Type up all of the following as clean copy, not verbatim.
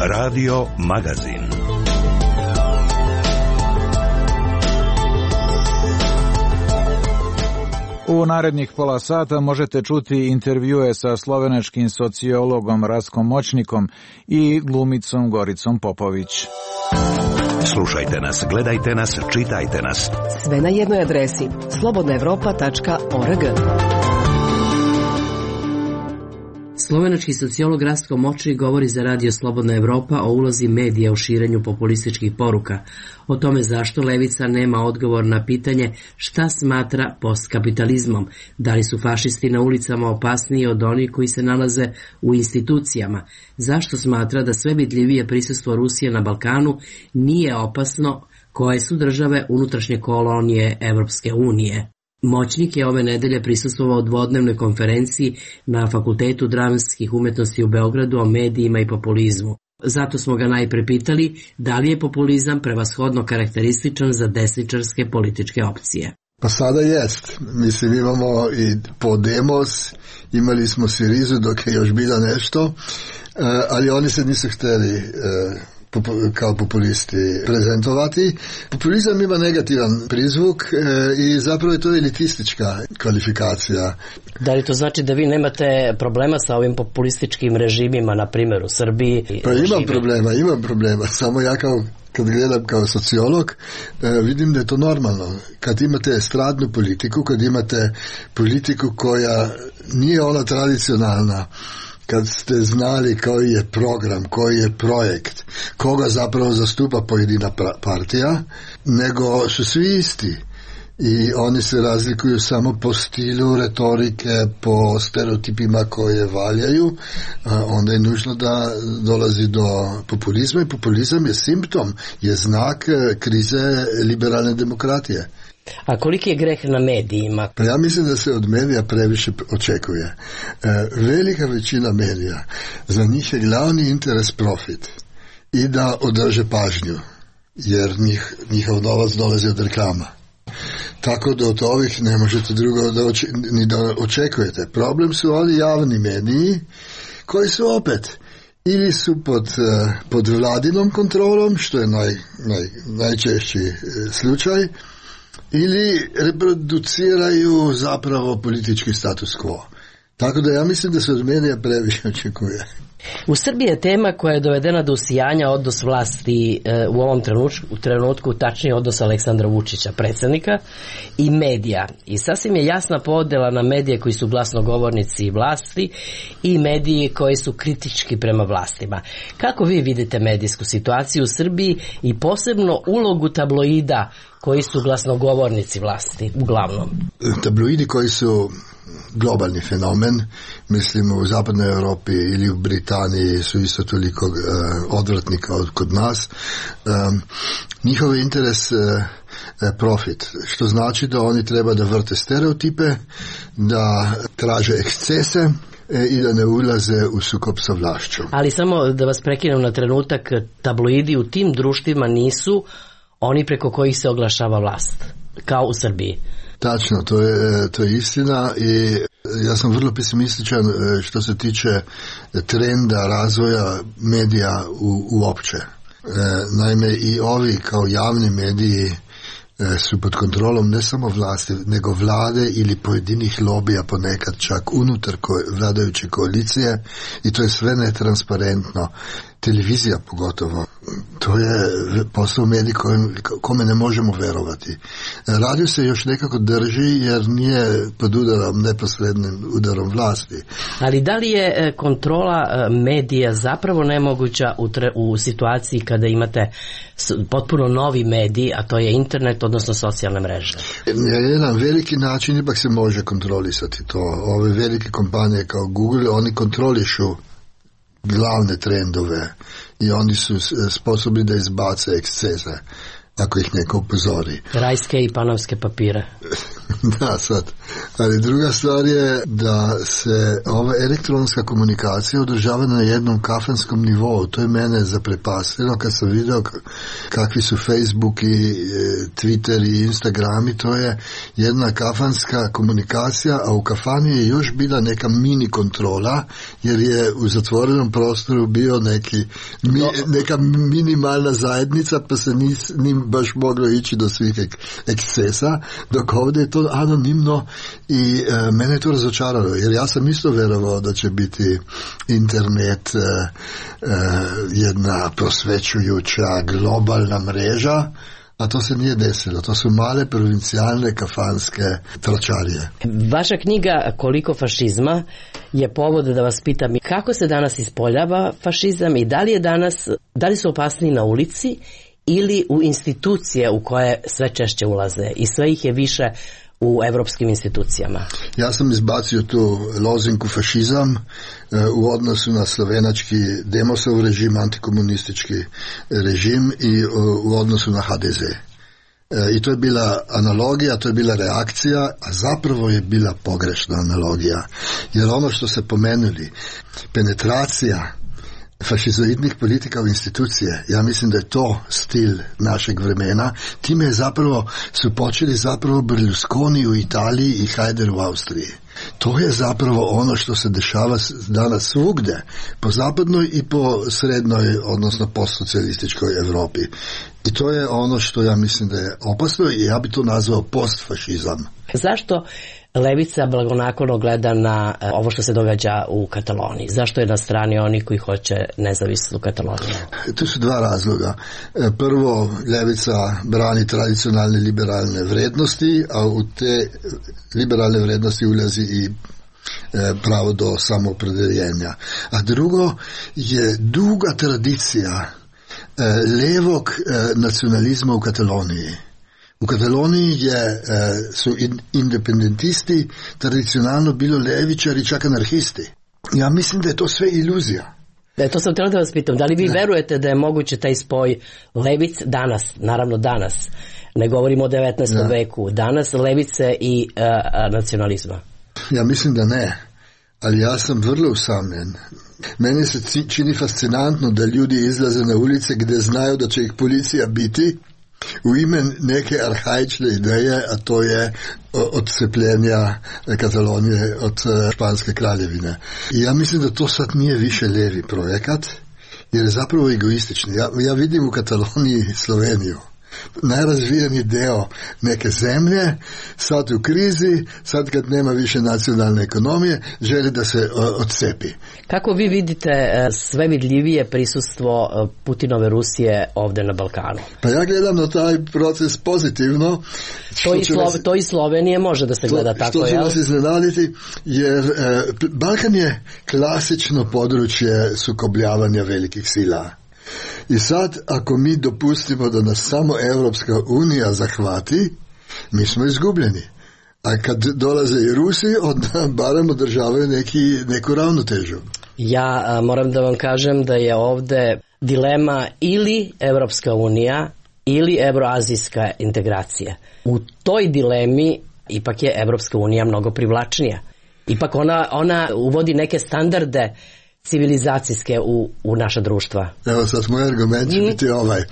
Radio Magazin. U narednih pola sata možete čuti intervjue sa slovenačkim sociologom Rastkom Moćnikom i glumicom Goricom Popović. Slušajte nas, gledajte nas, čitajte nas. Sve na jednoj adresi slobodnaevropa.org. Slovenački sociolog Rastko Moćnik govori za Radio Slobodna Evropa o ulozi medija u širenju populističkih poruka, o tome zašto levica nema odgovor na pitanje šta smatra postkapitalizmom, da li su fašisti na ulicama opasniji od onih koji se nalaze u institucijama, zašto smatra da sve vidljivije prisustvo Rusije na Balkanu nije opasno, koje su države unutrašnje kolonije Evropske unije. Moćnik je ove nedelje prisustvovao dvodnevnoj konferenciji na Fakultetu dramskih umetnosti u Beogradu o medijima i populizmu. Zato smo ga najpre pitali da li je populizam prevashodno karakterističan za desničarske političke opcije. Pa sada jest. Mislim, imamo i Podemos, imali smo Sirizu dok je još bilo nešto, ali oni se nisu htjeli kao populisti prezentovati. Populizam ima negativan prizvuk i zapravo je to elitistička kvalifikacija. Da li to znači da vi nemate problema sa ovim populističkim režimima, na primjer u Srbiji? Pa imam problema. Samo ja kad gledam kao sociolog, vidim da je to normalno. Kad imate estradnu politiku, kad imate politiku koja nije ona tradicionalna, kad ste znali koji je program, koji je projekt, koga zapravo zastupa pojedina partija, nego su svi isti. I oni se razlikuju samo po stilu retorike, po stereotipima koje valjaju, onda je nužno da dolazi do populizma i populizam je simptom, je znak krize liberalne demokratije. A koliki je greh na medijima? Pa ja mislim da se od medija previše očekuje. Velika većina medija, za njih je glavni interes profit i da održe pažnju, jer njihov novac dolazi od reklama. Tako da od ovih ne možete drugo ni da očekujete. Problem su oni javni mediji koji su opet ili su pod vladinom kontrolom, što je najčešći slučaj, ili reproduciraju zapravo politički status quo. Tako da ja mislim da se od medija previše očekuje. U Srbiji je tema koja je dovedena do usijanja odnos vlasti u ovom trenutku, tačnije odnos Aleksandra Vučića, predsjednika, i medija. I sasvim je jasna podjela na medije koji su glasnogovornici vlasti i mediji koji su kritički prema vlastima. Kako vi vidite medijsku situaciju u Srbiji i posebno ulogu tabloida koji su glasnogovornici vlasti, uglavnom? Tabloidi koji su globalni fenomen, mislim u zapadnoj Europi ili u Britaniji su isto toliko odvratnika kod nas. Njihov interes profit, što znači da oni treba da vrte stereotipe, da traže ekscese i da ne ulaze u sukob sa vlašću. Ali samo da vas prekinem na trenutak, tabloidi u tim društvima nisu oni preko kojih se oglašava vlast, kao u Srbiji. Tačno, to je istina i ja sam vrlo pesimističan što se tiče trenda razvoja medija uopće. Naime, i ovi kao javni mediji su pod kontrolom ne samo vlasti, nego vlade ili pojedinih lobija, ponekad čak unutar vladajuće koalicije, i to je sve netransparentno. Televizija pogotovo, to je posao medij kome ne možemo verovati. Radio se još nekako drži jer nije pod udarom, neposrednim udarom vlasti. Ali da li je kontrola medija zapravo nemoguća u situaciji kada imate potpuno novi medij, a to je internet, odnosno socijalne mreže? Na jedan veliki način ipak se može kontrolisati to. Ove velike kompanije kao Google, oni kontrolišu glavne trendove i oni su sposobni da izbace ekscese. ako ih neko upozori. Rajske i panamske papire. Da, sad. Ali druga stvar je da se ova elektronska komunikacija održava na jednom kafanskom nivou. To je mene zaprepastilo kad sam vidio kakvi su Facebook i Twitter i Instagram i to je jedna kafanska komunikacija, a u kafani je još bila neka mini kontrola jer je u zatvorenom prostoru bio neka minimalna zajednica pa se nije baš moglo ići do svih ekscesa, dok ovdje je to anonimno i mene je to razočaralo jer ja sam isto verovao da će biti internet jedna prosvećujuća globalna mreža, a to se nije desilo. To su male provincijalne kafanske tračarije. Vaša knjiga Koliko fašizma je povod da vas pitam kako se danas ispoljava fašizam i da li su opasniji na ulici ili u institucije u koje sve češće ulaze i sve ih je više u evropskim institucijama. Ja sam izbacio tu lozinku fašizam u odnosu na slovenački Demosov režim, antikomunistički režim i u odnosu na HDZ. I to je bila analogija, to je bila reakcija, a zapravo je bila pogrešna analogija. Jer ono što se pomenuli, penetracija fašizoidnih politika u institucije, ja mislim da je to stil našeg vremena. Time je su počeli Berlusconi u Italiji i Haider u Austriji. To je zapravo ono što se dešava danas svugde, po zapadnoj i po srednjoj, odnosno postsocijalističkoj Evropi. I to je ono što ja mislim da je opasno i ja bi to nazvao postfašizam. Zašto levica blagonaklono gleda na ovo što se događa u Kataloniji? Zašto je na strani oni koji hoće nezavisnu Kataloniju? Tu su dva razloga. Prvo, levica brani tradicionalne liberalne vrednosti, a u te liberalne vrednosti ulazi i pravo do samoopredeljenja. A drugo je duga tradicija levog nacionalizma u Kataloniji. U Kataloniji su independentisti tradicionalno bilo levičari, čak anarhisti. Ja mislim da je to sve iluzija. To sam htjela da vas pitam, da li vi verujete da je moguće taj spoj levic danas, naravno danas, ne govorimo o 19. veku, danas levice i nacionalizma? Ja mislim da ne, ali ja sam vrlo usamljen. Meni se čini fascinantno da ljudi izlaze na ulice gdje znaju da će ih policija biti u ime neke arhaične ideje, a to je odcepljenja Katalonije od Španske kraljevine. I ja mislim da to sad nije više lijevi projekat, jer je zapravo egoistični. Ja vidim u Kataloniji Sloveniju. Najrazvijeniji deo neke zemlje, sad u krizi, sad kad nema više nacionalne ekonomije, želi da se odcepi. Kako vi vidite sve vidljivije prisustvo Putinove Rusije ovdje na Balkanu? Pa ja gledam na taj proces pozitivno. To i Slovenije može da se gleda tako. Što će nas iznenaditi, jer Balkan je klasično područje sukobljavanja velikih sila. I sad, ako mi dopustimo da nas samo Evropska unija zahvati, mi smo izgubljeni. A kad dolaze i Rusi, onda barem održavaju neku ravnotežu. Ja moram da vam kažem da je ovde dilema ili Evropska unija ili evroazijska integracija. U toj dilemi ipak je Evropska unija mnogo privlačnija. Ipak ona uvodi neke standarde civilizacijske u naša društva. Evo sad moj argument će biti ovaj.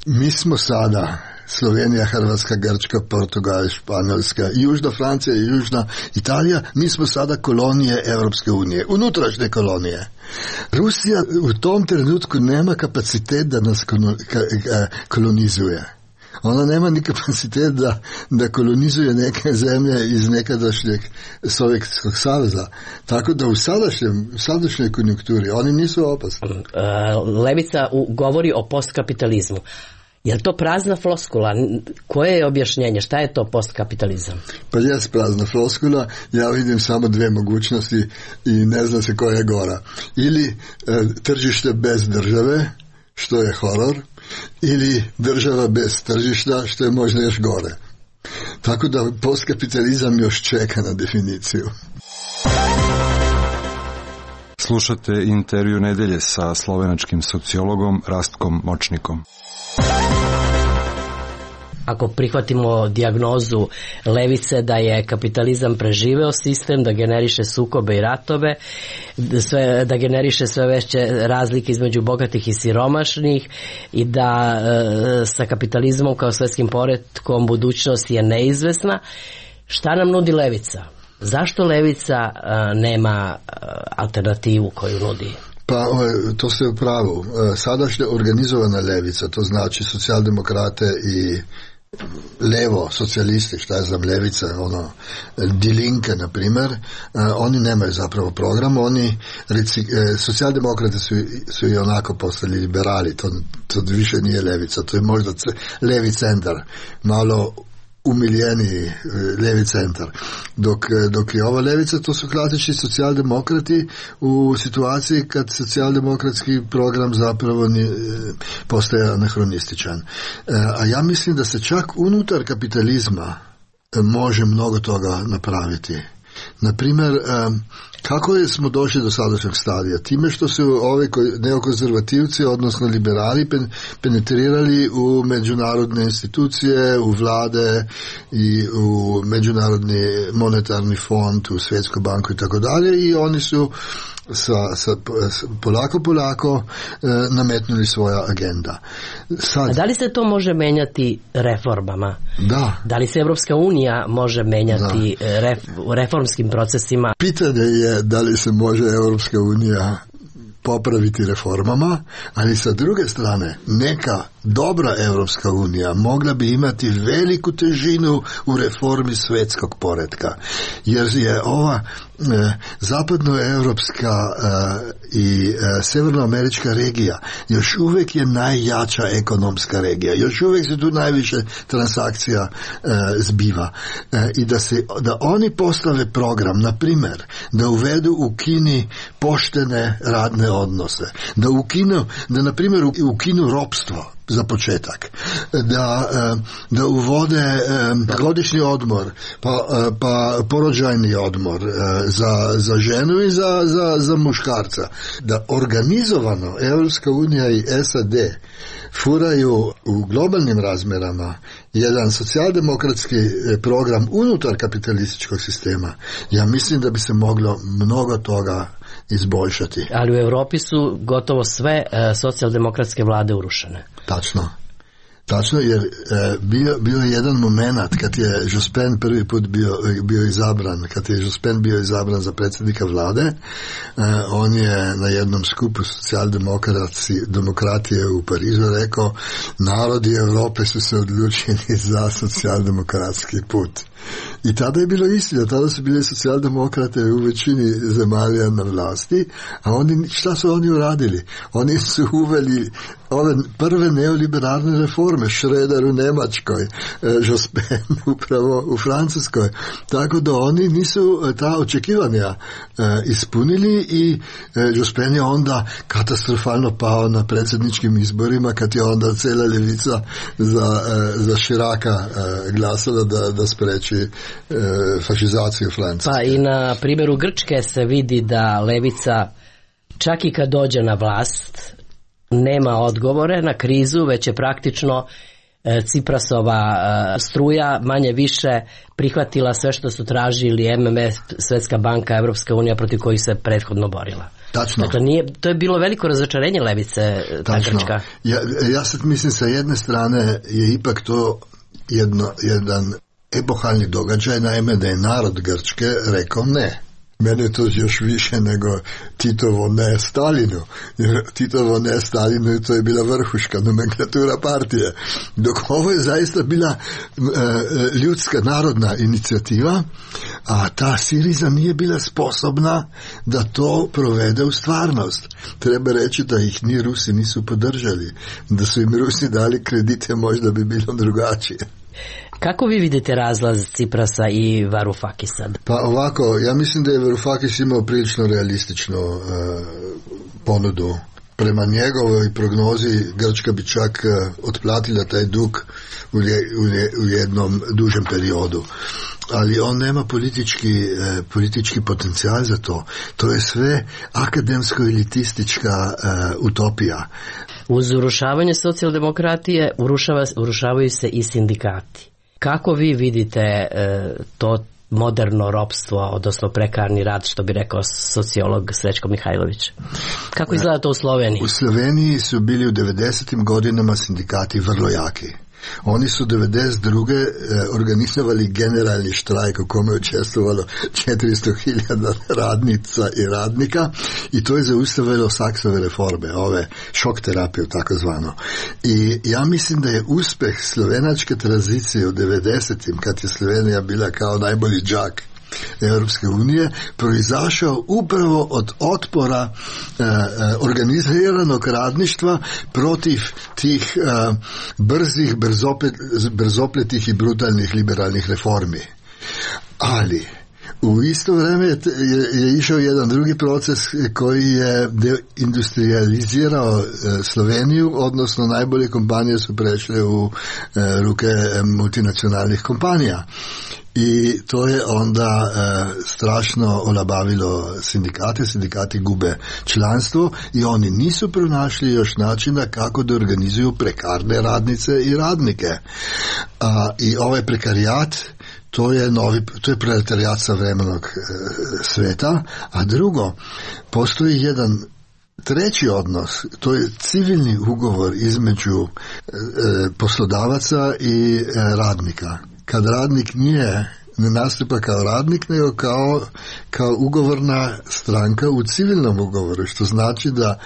Mi smo sada Slovenija, Hrvatska, Grčka, Portugal, Španjolska, Južna Francija i Južna Italija, mi smo sada kolonije Evropske unije, unutrašnje kolonije. Rusija u tom trenutku nema kapacitet da nas kolonizuje. Ona nema ni kapacitet da kolonizuje neke zemlje iz nekadašnjeg Sovjetskog saveza. Tako da u sadašnjoj konjunkturi oni nisu opasni. Levica govori o postkapitalizmu. Je li to prazna floskula? Koje je objašnjenje? Šta je to postkapitalizam? Pa jest prazna floskula. Ja vidim samo dve mogućnosti i ne zna se koja je gora. Ili tržište bez države, što je horor, ili država bez tržišta, što je možda još gore. Tako da postkapitalizam još čeka na definiciju. Slušate intervju nedelje sa slovenačkim sociologom Rastkom Močnikom. ako prihvatimo dijagnozu levice da je kapitalizam preživeo sistem, da generiše sukobe i ratove, da generiše sve veće razlike između bogatih i siromašnih i da sa kapitalizmom kao svetskim poretkom budućnost je neizvesna. Šta nam nudi levica? Zašto levica nema alternativu koju nudi? Pa to ste u pravu. Sadašnja organizovana levica, to znači socijaldemokrate i levo, socijalisti, šta je znam, levica, Die Linke, na primjer, oni nemaju zapravo program, socijaldemokrati su i onako postali liberali, to više nije levica, to je možda levi centar, malo umiljeniji levi centar. Dok je ova levica, to su klasični socijaldemokrati u situaciji kad socijaldemokratski program zapravo postaje anahronističan. A ja mislim da se čak unutar kapitalizma može mnogo toga napraviti. Naprimjer, kako smo došli do sadašnjeg stadija? Time što su ovi neokonzervativci, odnosno liberali, penetrirali u međunarodne institucije, u vlade i u međunarodni monetarni fond, u Svjetsku banku i tako dalje, i oni su polako nametnuli svoja agenda. A da li se to može menjati reformama? Da. Da li se Evropska unija može menjati u reformskim procesima? Pitanje je da li se može Evropska unija popraviti reformama, ali sa druge strane neka dobra Evropska unija mogla bi imati veliku težinu u reformi svjetskog poretka, jer je ova zapadnoevropska i severnoamerička regija još uvijek je najjača ekonomska regija, još uvijek se tu najviše transakcija zbiva, i da oni postave program, na primjer, da uvedu u Kini poštene radne odnose, da na primjer ukinu ropstvo za početak, da uvode godišnji odmor, pa porođajni odmor za ženu i za muškarca, da organizovano Europska unija i SAD furaju u globalnim razmjerama jedan socijaldemokratski program unutar kapitalističkog sistema. Ja mislim da bi se moglo mnogo toga izboljšati. Ali u Europi su gotovo sve socijaldemokratske vlade urušene. Tačno, jer bio je jedan moment kad je Jospin prvi put bio izabran, kad je Jospin bio izabran za predsjednika vlade, on je na jednom skupu socijaldemokratije u Parizu rekao: narodi Europe su se odlučili za socijaldemokratski put. I tada je bilo istina, tada su bili socijaldemokrate u većini zemalja na vlasti, a šta su oni uradili? Oni su uveli ove prve neoliberalne reforme, Schröder u Njemačkoj, Jospin upravo u Francuskoj, tako da oni nisu ta očekivanja ispunili i Jospin je onda katastrofalno pao na predsjedničkim izborima, kad je onda cijela ljevica za Chiraca glasala da spreči fašizaciju Francuske. Pa i na primjeru Grčke se vidi da levica, čak i kad dođe na vlast, nema odgovore na krizu, već je praktično Ciprasova struja manje više prihvatila sve što su tražili MMF, Svjetska banka, Evropska unija, protiv kojih se prethodno borila. Tačno. Dakle, to je bilo veliko razočarenje levice, ta Grčka. Ja sad mislim, sa jedne strane je ipak to jedan epohalni događaj, naime da je narod Grčke rekao ne. Mene je to još više nego Titovo ne Stalinu. Jer Titovo ne Stalinu, to je bila vrhuška nomenklatura partije. Dok ovo je zaista bila ljudska narodna inicijativa, a ta Siriza nije bila sposobna da to provede u stvarnost. Treba reći da ih ni Rusi nisu podržali. Da su im Rusi dali kredite, možda bi bilo drugačije. Kako vi vidite razlaz Ciprasa i Varoufakisa? Pa ovako, ja mislim da je Varoufakis imao prilično realističnu ponudu. Prema njegovoj prognozi Grčka bi čak otplatila taj dug u jednom dužem periodu. Ali on nema politički potencijal za to. To je sve akademsko-elitistička utopija. Uz urušavanje socijaldemokratije urušavaju se i sindikati. Kako vi vidite to moderno ropstvo, odnosno prekarni rad, što bi rekao sociolog Srećko Mihajlović? Kako izgleda to u Sloveniji? U Sloveniji su bili u 90. godinama sindikati vrlo jaki. Oni su 92. organizovali generalni štrajk u kome je učestvovalo 400.000 radnica i radnika i to je zaustavilo Saksove reforme, ove šok terapiju takozvano. I ja mislim da je uspeh slovenačke tranzicije u 90. kad je Slovenija bila kao najbolji đak Europske unije, proizašao upravo od otpora organiziranog radništva protiv tih brzih, brzopletih i brutalnih liberalnih reformi. Ali u isto vrijeme je išao jedan drugi proces koji je deindustrializirao Sloveniju, odnosno najbolje kompanije su prešle u ruke multinacionalnih kompanija. I to je onda strašno olabavilo sindikati gube članstvo i oni nisu pronašli još načina kako da organizuju prekarne radnice i radnike. I ovaj prekarijat, to je proletarijat savremenog sveta, a drugo, postoji jedan treći odnos, to je civilni ugovor između poslodavaca i radnika. Kad radnik ne nastupa kao radnik, nego kao ugovorna stranka u civilnom ugovoru, što znači da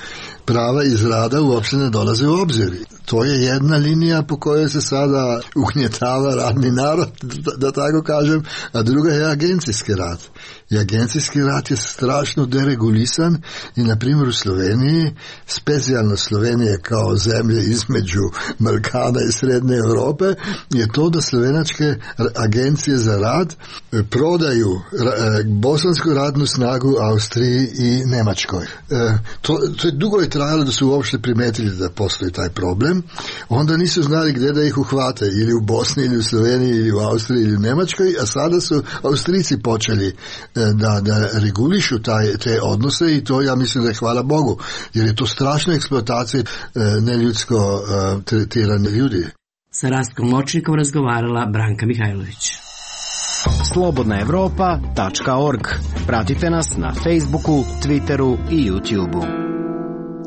prava iz rada uopće ne dolaze u obzir. To je jedna linija po kojoj se sada ugnjetava radni narod, da tako kažem, a druga je agencijski rad. I agencijski rad je strašno deregulisan i, na primjer, u Sloveniji, specijalno Slovenije kao zemlje između Balkana i Srednje Europe, je to da slovenačke agencije za rad prodaju bosansku radnu snagu Austriji i Njemačkoj. To je dugo je trajalo da su uopšte primetili da postoji taj problem. Onda nisu znali gdje da ih uhvate, ili u Bosni, ili u Sloveniji, ili u Austriji, ili u Njemačkoj, a sada su Austrici počeli da regulišu te odnose i to ja mislim da je hvala Bogu, jer je to strašna eksploatacija neljudsko tretirane ljudi. Sa Rastkom Močnikom razgovarala Branka Mihajlović. slobodnaevropa.org. Pratite nas na Facebooku, Twitteru i YouTubeu.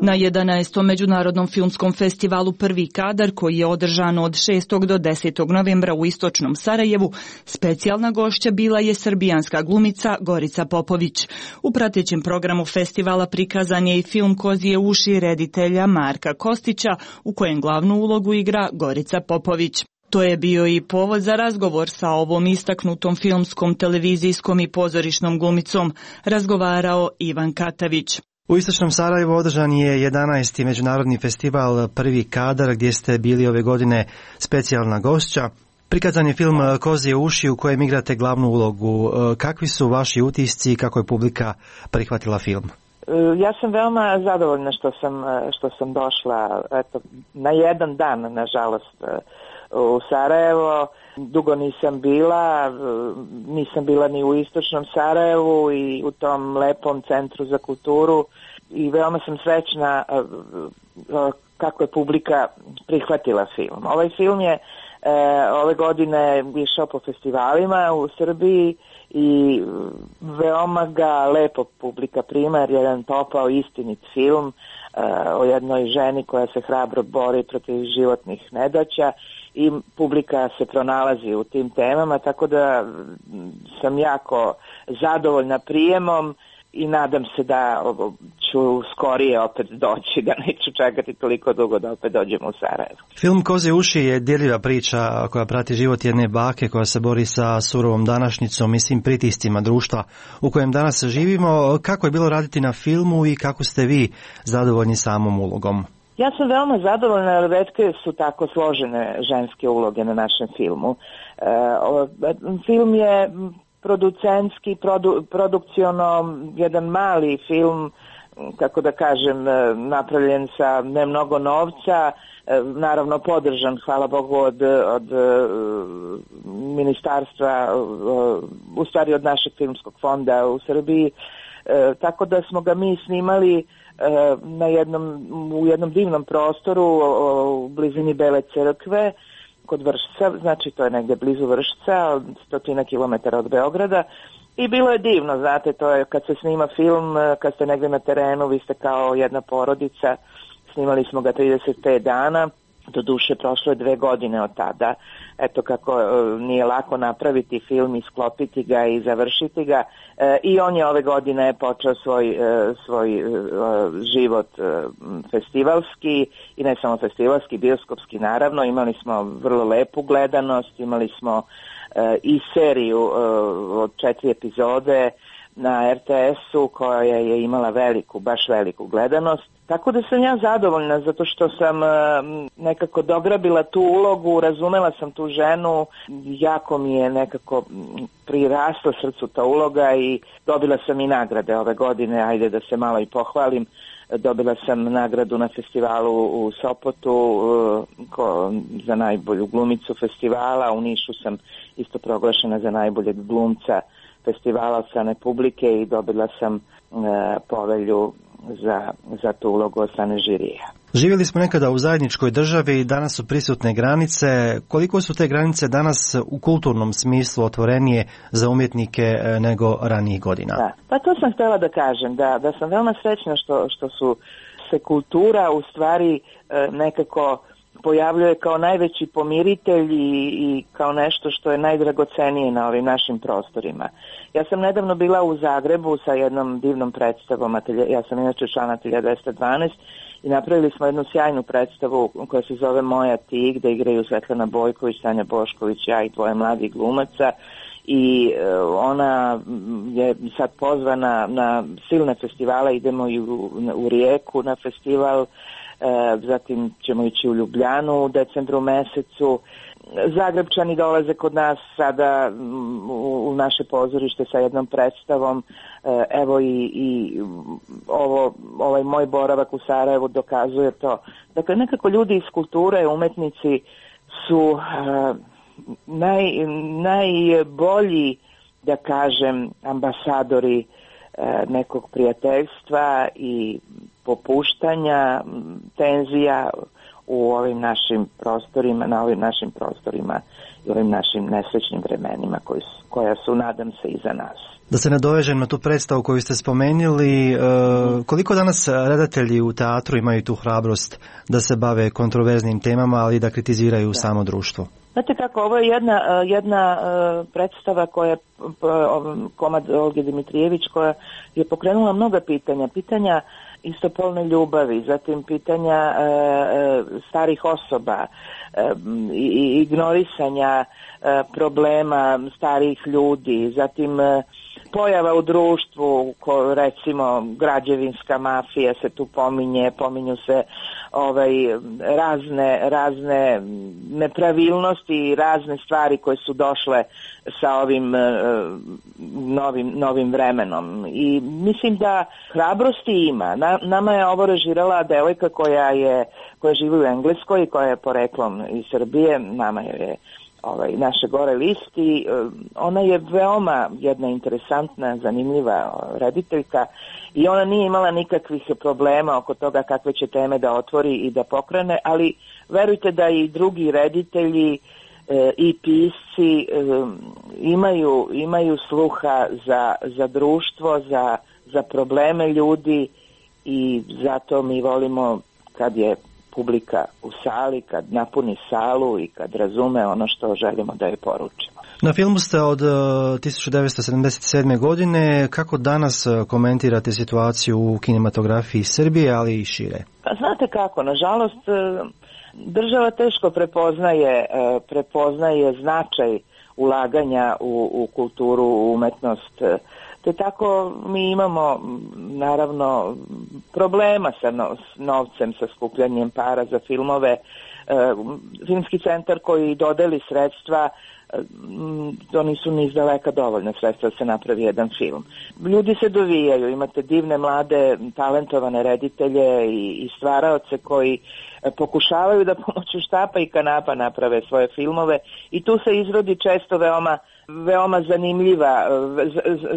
Na 11. Međunarodnom filmskom festivalu Prvi kadar, koji je održan od 6. do 10. novembra u istočnom Sarajevu, specijalna gošća bila je srbijanska glumica Gorica Popović. U pratećem programu festivala prikazan je i film Kozije uši reditelja Marka Kostića, u kojem glavnu ulogu igra Gorica Popović. To je bio i povod za razgovor sa ovom istaknutom filmskom, televizijskom i pozorišnom glumicom, razgovarao Ivan Katavić. U istočnom Sarajevu održan je 11. međunarodni festival Prvi kadar, gdje ste bili ove godine specijalna gošća. Prikazan je film Kozije uši u kojem igrate glavnu ulogu. Kakvi su vaši utisci i kako je publika prihvatila film? Ja sam veoma zadovoljna što sam došla na jedan dan, nažalost, u Sarajevo. Dugo nisam bila ni u istočnom Sarajevu i u tom lepom centru za kulturu i veoma sam srećna kako je publika prihvatila film. Ovaj film je ove godine išao po festivalima u Srbiji i veoma ga lepo publika prima, jer je jedan topao, istinit film o jednoj ženi koja se hrabro bori protiv životnih nedaća i publika se pronalazi u tim temama, tako da sam jako zadovoljna prijemom i nadam se da ću skorije opet doći, da neću čekati toliko dugo da opet dođem u Sarajevo. Film Kozije uši je dirljiva priča koja prati život jedne bake koja se bori sa surovom današnjicom i svim pritiscima društva u kojem danas živimo. Kako je bilo raditi na filmu i kako ste vi zadovoljni samom ulogom? Ja sam veoma zadovoljna, jer retke su tako složene ženske uloge na našem filmu. Film je producentski, produkciono, jedan mali film, kako da kažem, napravljen sa ne mnogo novca, naravno podržan, hvala Bogu, od ministarstva, u stvari od našeg filmskog fonda u Srbiji. tako da smo ga mi snimali u jednom divnom prostoru u blizini Bele crkve kod Vršca, znači to je negde blizu Vršca, 100 kilometara od Beograda, i bilo je divno, znate, to je kad se snima film, kad ste negde na terenu, vi ste kao jedna porodica, snimali smo ga 35 dana, do duše prošlo je 2 godine od tada, eto kako nije lako napraviti film, isklopiti ga i završiti ga, i on je ove godine počeo svoj život festivalski, i ne samo festivalski, bioskopski naravno, imali smo vrlo lepu gledanost, imali smo i seriju od 4 epizode na RTS-u koja je imala baš veliku gledanost. Tako da sam ja zadovoljna zato što sam nekako dograbila tu ulogu, razumela sam tu ženu, jako mi je nekako prirasla srcu ta uloga i dobila sam i nagrade ove godine, ajde da se malo i pohvalim. Dobila sam nagradu na festivalu u Sopotu za najbolju glumicu festivala, u Nišu sam isto proglašena za najboljeg glumca festivala od strane publike i dobila sam povelju za tu ulogu od strane žirija. Živjeli smo nekada u zajedničkoj državi, danas su prisutne granice. Koliko su te granice danas u kulturnom smislu otvorenije za umjetnike nego ranijih godina? Da. Pa to sam htjela da kažem, da sam veoma srećna što su se kultura u stvari nekako pojavljuje kao najveći pomiritelj i kao nešto što je najdragocenije na ovim našim prostorima. Ja sam nedavno bila u Zagrebu sa jednom divnom predstavom, ja sam inače član Ateljea 212 i napravili smo jednu sjajnu predstavu koja se zove Moja ti, gde igraju Svetlana Bojković, Tanja Bošković, ja i 2 mladih glumaca, i ona je sad pozvana na silne festivale, idemo i u Rijeku na festival, zatim ćemo ići u Ljubljanu u decembru mesecu. Zagrebčani dolaze kod nas sada u naše pozorište sa jednom predstavom, evo i ovaj moj boravak u Sarajevu dokazuje to. Dakle, nekako ljudi iz kulture, umetnici su najbolji, da kažem, ambasadori nekog prijateljstva i popuštanja tenzija u ovim našim prostorima, na ovim našim prostorima i ovim našim nesrećnim vremenima koja su, nadam se, iza nas. Da se nadovežem na tu predstavu koju ste spomenuli, koliko danas redatelji u teatru imaju tu hrabrost da se bave kontroverznim temama, ali da kritiziraju samo društvo? Znate kako, ovo je jedna predstava koja je komad Olge Dimitrijević, koja je pokrenula mnoga pitanja istopolne ljubavi, zatim pitanja starih osoba, ignorisanja problema starijih ljudi, zatim pojava u društvu, recimo građevinska mafija se tu pominju se razne nepravilnosti i razne stvari koje su došle sa ovim novim vremenom. I mislim da hrabrosti ima. Nama je ovo režirala devojka koja živi u Engleskoj i koja je poreklom iz Srbije. Nama je naše gore listi. Ona je veoma jedna interesantna, zanimljiva rediteljka i ona nije imala nikakvih problema oko toga kakve će teme da otvori i da pokrene, ali verujte da i drugi reditelji i pisci imaju sluha za društvo, za probleme ljudi, i zato mi volimo kad je publika u sali, kad napuni salu i kad razume ono što želimo da je poručimo. Na filmu ste od 1977. godine. Kako danas komentirate situaciju u kinematografiji Srbije, ali i šire? Pa znate kako, nažalost, država teško prepoznaje značaj ulaganja u kulturu, u umetnost, te tako mi imamo naravno problema sa novcem, sa skupljanjem para za filmove. Filmski centar koji dodeli sredstva, to nisu ni izdaleka dovoljna sredstva da se napravi jedan film. Ljudi se dovijaju, imate divne, mlade, talentovane reditelje i stvaraoce koji pokušavaju da pomoću štapa i kanapa naprave svoje filmove i tu se izrodi često veoma veoma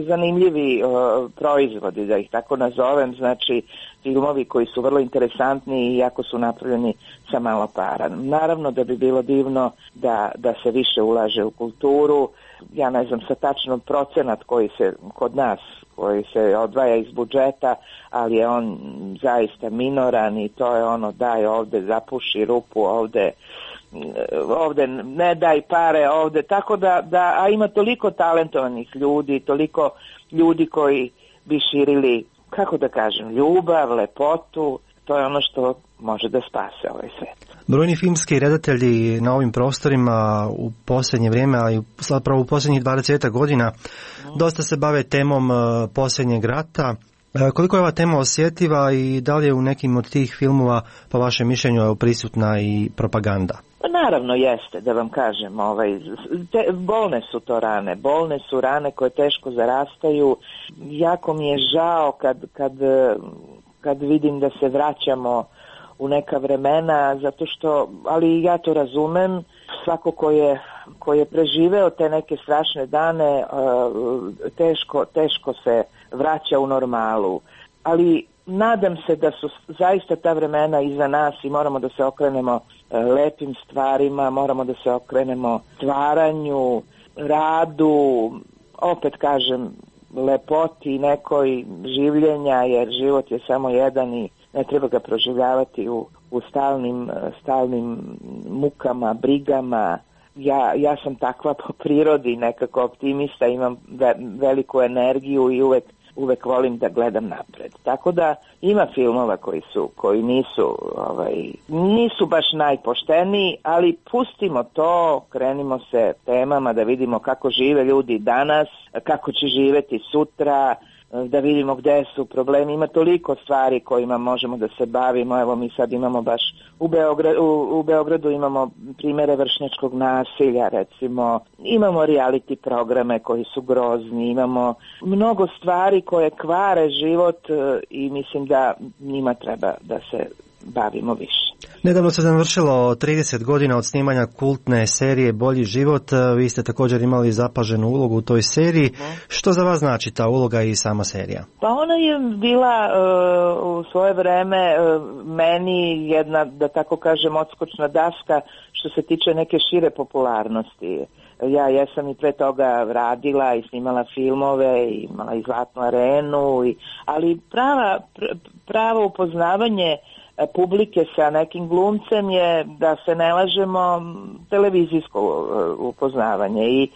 zanimljivi proizvodi, da ih tako nazovem, znači filmovi koji su vrlo interesantni i jako su napravljeni sa malo para. Naravno da bi bilo divno da se više ulaže u kulturu. Ja ne znam sa tačno procenat koji se kod nas koji se odvaja iz budžeta, ali je on zaista minoran i to je ono daj ovde, zapuši rupu ovde ne daj pare ovde, tako a ima toliko talentovanih ljudi, toliko ljudi koji bi širili, kako da kažem, ljubav, lepotu, to je ono što može da spase ovaj svet. Brojni filmski redatelji na ovim prostorima u posljednje vrijeme, ali zapravo u posljednjih 20 godina, dosta se bave temom posljednjeg rata. Koliko je ova tema osjetljiva i da li je u nekim od tih filmova, po vašem mišljenju, prisutna i propaganda? Naravno jeste, da vam kažem, bolne su to rane, bolne su rane koje teško zarastaju. Jako mi je žao kad vidim da se vraćamo u neka vremena, zato što, ali ja to razumem, svako ko je preživeo te neke strašne dane, teško se vraća u normalu. Ali nadam se da su zaista ta vremena iza nas i moramo da se okrenemo lepim stvarima, moramo da se okrenemo stvaranju, radu, opet kažem, lepoti nekoj življenja, jer život je samo jedan i ne treba ga proživljavati u stalnim mukama, brigama. Ja sam takva po prirodi, nekako optimista, imam veliku energiju i uvek volim da gledam napred. Tako da ima filmova koji nisu baš najpošteniji, ali pustimo to, krenimo se temama da vidimo kako žive ljudi danas, kako će živeti sutra, da vidimo gde su problemi. Ima toliko stvari kojima možemo da se bavimo. Evo mi sad imamo baš u Beogradu imamo primere vršnjačkog nasilja, recimo. Imamo reality programe koji su grozni, imamo mnogo stvari koje kvare život i mislim da njima treba da se bavimo više. Nedavno se završilo 30 godina od snimanja kultne serije Bolji život. Vi ste također imali zapaženu ulogu u toj seriji. Što za vas znači ta uloga i sama serija? Pa ona je bila u svoje vreme meni jedna, da tako kažem, odskočna daska što se tiče neke šire popularnosti. Ja jesam i pre toga radila i snimala filmove, imala i Zlatnu arenu, ali pravo upoznavanje publike sa nekim glumcem je, da se ne lažemo, televizijsko upoznavanje i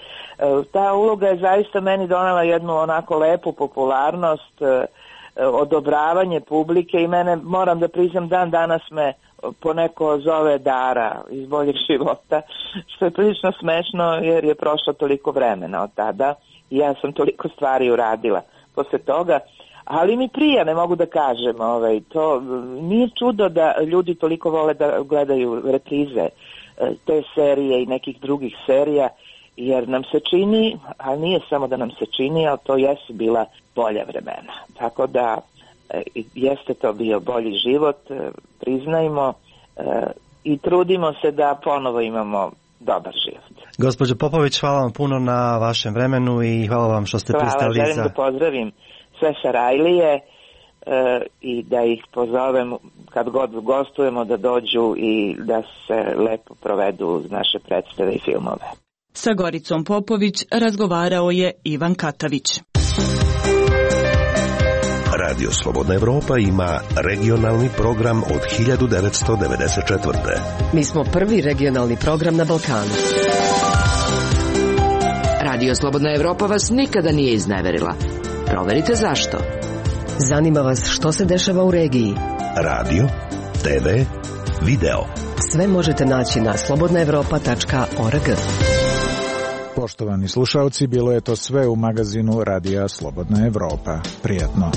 ta uloga je zaista meni donela jednu onako lepu popularnost, odobravanje publike i mene, moram da priznam, dan danas me poneko zove Dara iz Boljeg života, što je prilično smešno jer je prošlo toliko vremena od tada i ja sam toliko stvari uradila posle toga. Ali mi prija, ne mogu da kažem, to nije čudo da ljudi toliko vole da gledaju reprize te serije i nekih drugih serija, jer nam se čini, ali nije samo da nam se čini, ali to jesu bila bolja vremena. Tako da jeste to bio bolji život, priznajmo i trudimo se da ponovo imamo dobar život. Gospođo Popović, hvala vam puno na vašem vremenu i hvala vam što ste pristali želim da pozdravim sve Sarajlije i da ih pozovem kad god gostujemo da dođu i da se lepo provedu uz naše predstave i filmove. Sa Goricom Popović razgovarao je Ivan Katavić. Radio Slobodna Evropa ima regionalni program od 1994. Mi smo prvi regionalni program na Balkanu. Radio Slobodna Evropa vas nikada nije izneverila. Proverite zašto. Zanima vas što se dešava u regiji. Radio, TV, video. Sve možete naći na slobodnaevropa.org. Poštovani slušalci, bilo je to sve u magazinu Radija Slobodna Evropa. Prijatno.